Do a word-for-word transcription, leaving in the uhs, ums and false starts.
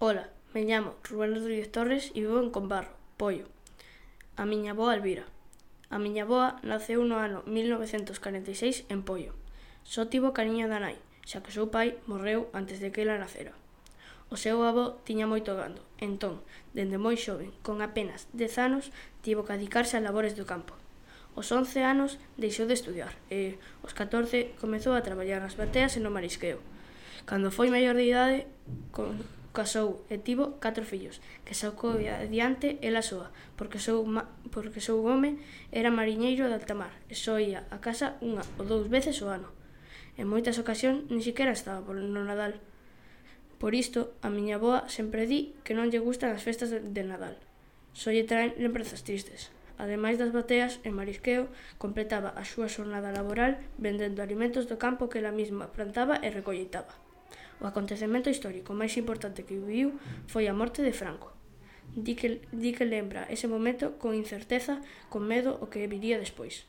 Ola, me llamo Rubén Rodríguez Torres e vivo en Combarro, Poio. A miña avoa Elvira. A miña avoa naceu no ano mil novecentos corenta e seis en Poio. Só tivo cariño da nai, xa que o seu pai morreu antes de que ela nacera. O seu avó tiña moito gando, entón, dende moi xoven, con apenas dez anos, tivo que adicarse a labores do campo. Os once anos deixou de estudiar e, aos catorce, comezou a traballar nas bateas e no marisqueo. Cando foi maior de idade, con, casou e tivo catro fillos, que sacou adiante ela soa, porque seu, porque seu home era mariñeiro de alta mar e só ía a casa unha ou dous veces ao ano. En moitas ocasións nin sequera estaba no Nadal. Por isto, a miña avoa sempre di que non lle gustan as festas de Nadal. Só lle traen lembranzas tristes. Ademais das bateas e marisqueo, completaba a súa xornada laboral vendendo alimentos do campo que ela mesma plantaba e recolleitaba. O acontecemento histórico máis importante que viviu foi a morte de Franco. Di que, di que lembra ese momento con incerteza, con medo o que viría despois.